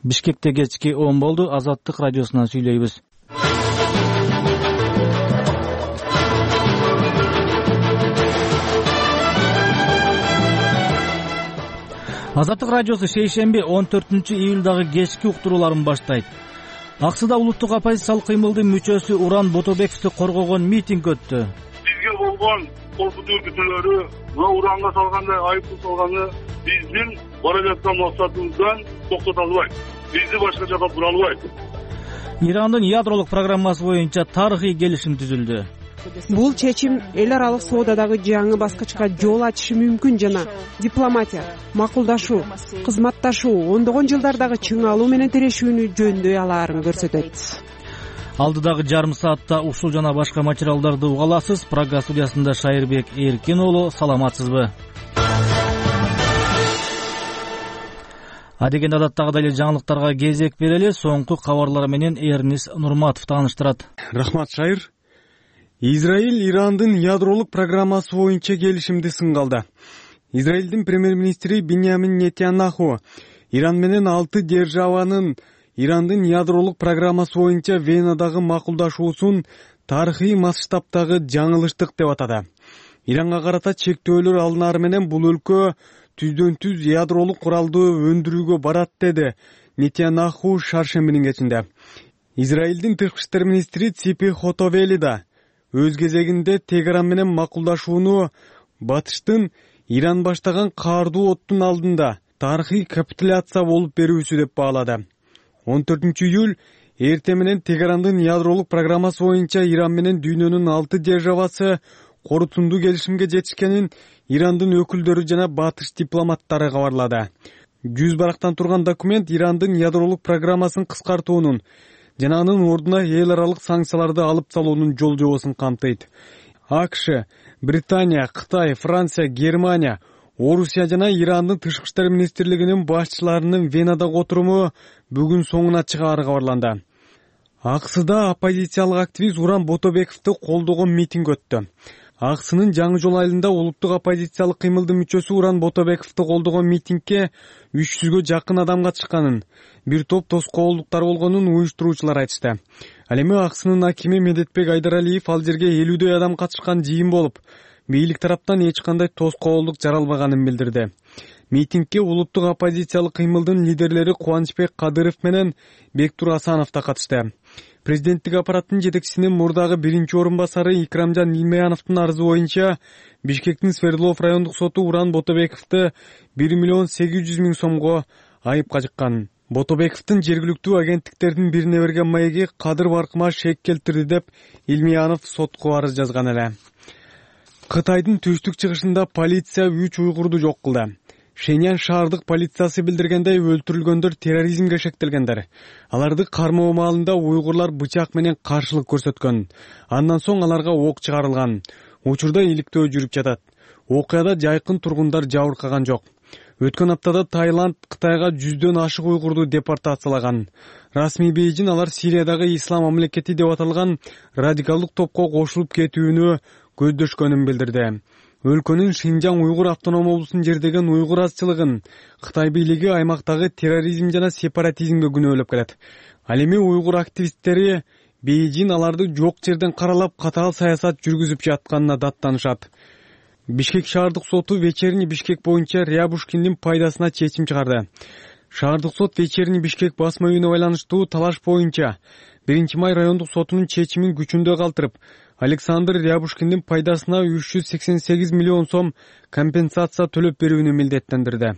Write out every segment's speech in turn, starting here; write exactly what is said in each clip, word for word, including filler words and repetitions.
Бишкекте кечки он болду. Азаттык радиосунан сүйлөйбүз. Азаттык радиосу шейшемби он төртүнчү июлдагы кечки уктурууларын баштайт. Аксыда улуттук оппозициялык кыймылдын мүчөсү Уран Ботобековду коргогон митинг өттү. Бизге болгон коркутуу үркүтүүлөрү, мына Уранга салгандай айыпты салганы биздин бара жаткан максатыбыздан токтото албайт. Бизди башка жака бура албайт. Ирандын ядролук программасы боюнча тарыхый келишим түзүлдү. Бул чечим эл аралык соодадагы жаңы баскычка жол ачышы мүмкүн жана дипломатия, макулдашуу, кызматташуу ондогон жылдардагы чыңалуу менен тирешүүнү жөндөй алаарын көрсөтөт. Алдыдагы жарым саатта ушул жана башка материалдарды уга аласыз. Прага студиясында Шайырбек Эркин уулу, саламатсызбы? Адегенде адаттагыдай эле жаңылыктарга кезек берели. Соңку кабарлар менен Эрнис Нурматов тааныштырат. Рахмат, Шайыр. Израиль Ирандын ядролук программасы боюнча келишимди сынга алды. Израилдин премьер-министри Биньямин Нетаньяху Иран менен алты державанын Ирандын ядролук программасы боюнча Венадагы макулдашуусун тарыхый масштабтагы жаңылыштык деп атады. Иранга карата чектөөлөр алынары менен бул өлкө түздөн түз ядролук куралды өндүрүүгө барат, деди Нетаньяху шаршембинин кечинде. Израилдин тышкы иштер министри Ципи Хотовели да өз кезегинде Тегеран менен макулдашууну батыштын Иран баштаган каардуу оттун алдында тарыхый капитуляция болуп берүүсү деп баалады. он төртүнчү июль эртең менен Тегерандын ядролук программасы боюнча Иран менен дүйнөнүн алты державасы корутундуу келишимге жетишкенин Ирандын өкүлдөрү жана батыш дипломаттары кабарлады. Жүз барактан турган документ Ирандын ядролук программасын кыскартуунун жана анын ордуна эл аралык санкцияларды алып салуунун жол жобосун камтыйт. АКШ, Британия, Кытай, Франция, Германия, Орусия жана Ирандын тышкы иштер министрлигинин башчыларынын Венадагы отуруму бүгүн соңуна чыгаары кабарланды. Аксыда оппозициялык активист Уран Ботобековду колдогон митинг өттү. Аксынын Жаңы жол айылында улуттук оппозициялык кыймылдын мүчөсү Уран Ботобековду колдогон митингге үч жүзгө жакын адам катышканын, бир топ тоскоолдуктар болгонун уюштуруучулар айтышты. Ал эми Аксынын акими Медетбек Айдаралиев ал жерге элүүдөй адам катышкан жыйын болуп, бийлик тараптан эч кандай тоскоолдук жаралбаганын билдирди. Митингге улуттук оппозициялык кыймылдын лидерлери Кубанычбек Кадыров менен Бектур Асанов да катышты. Президенттик аппараттын жетекчисинин мурдагы биринчи орун басары Икрамжан Илмеяновдун арызы боюнча Бишкектин Свердлов райондук соту Уран Ботобековду бир миллион сегиз жүз миң сомго айыпка жыккан. Ботобековдун жергиликтүү агенттиктердин бирине берген маеги кадыр баркыма шек келтирди деп Илмеянов сотко арыз жазган эле. Кытайдын түштүк чыгышында полиция үч уйгурду жок кылды. Шеньян шаардык полициясы билдиргендей, өлтүрүлгөндөр терроризмге шектелгендер. Аларды кармоо маалында уйгурлар бычак менен каршылык көрсөткөн. Андан соң аларга ок чыгарылган. Учурда иликтөө жүрүп жатат. Окуяда жайкын тургундар жабыркаган жок. Өткөн аптада Таиланд Кытайга жүздөн ашык уйгурду депортациялаган. Расмий Бейжин алар Сириядагы ислам мамлекети деп аталган радикалдык топко кошулуп кетүүнү көздөшкөнүн билдирди. Өлкөнүн Шинжаң уйгур автоном облусун жердеген уйгур азчылыгын Кытай бийлиги аймактагы терроризм жана сепаратизмге күнөөлөп келет. Ал эми уйгур активисттери Бейжин аларды жок жерден каралап катаал саясат жүргүзүп жатканына даттанышат. Бишкек шаардык соту Вечерний Бишкек боюнча Рябушкиндин пайдасына чечим чыгарды. Шаардык сот Вечерний Бишкек басма үйүнө байланыштуу талаш боюнча биринчи май райондук сотунун чечимин күчүндө калтырып, Александр Рябушкиндин пайдасына үч жүз сексен сегиз миллион сом компенсация төлөп берүүнү милдеттендирди.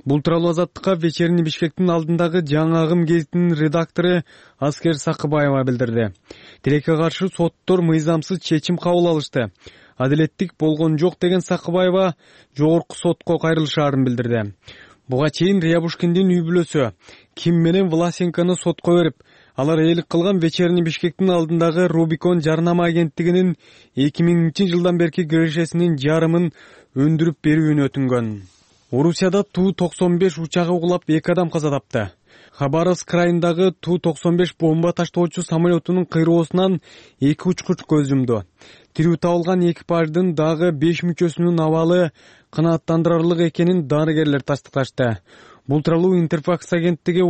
Бул тууралуу Азаттыкка Вечерний Бишкектин алдындагы Жаңы агым гезитинин редактору Аскер Сакыбаева билдирди. Тилекке каршы соттор мыйзамсыз чечим кабыл алышты. Адилеттик болгон жок деген Сакыбаева жогорку сотко кайрылышаарын билдирди. Буга чейин Рябушкиндин үй бүлөсү Ким менен Власенкону сотко берип, алар ээлик кылган Вечерний Бишкектин алдындагы Рубикон жарнама агенттигинин эки миңинчи жылдан берки кирешесинин жарымын өндүрүп берүүнү өтүнгөн. Орусияда Ту токсон беш учагы кулап эки адам каза тапты. Хабаровск районундагы Ту токсон беш бомба таштоочу самолетунун кыйроосунан эки учкуч көз жумду. Тирүү табылган экипаждын дагы беш мүчөсүнүн абалы канааттандырарлык экенин дарыгерлер тастыкташты. Бул тууралуу Интерфакс агенттиги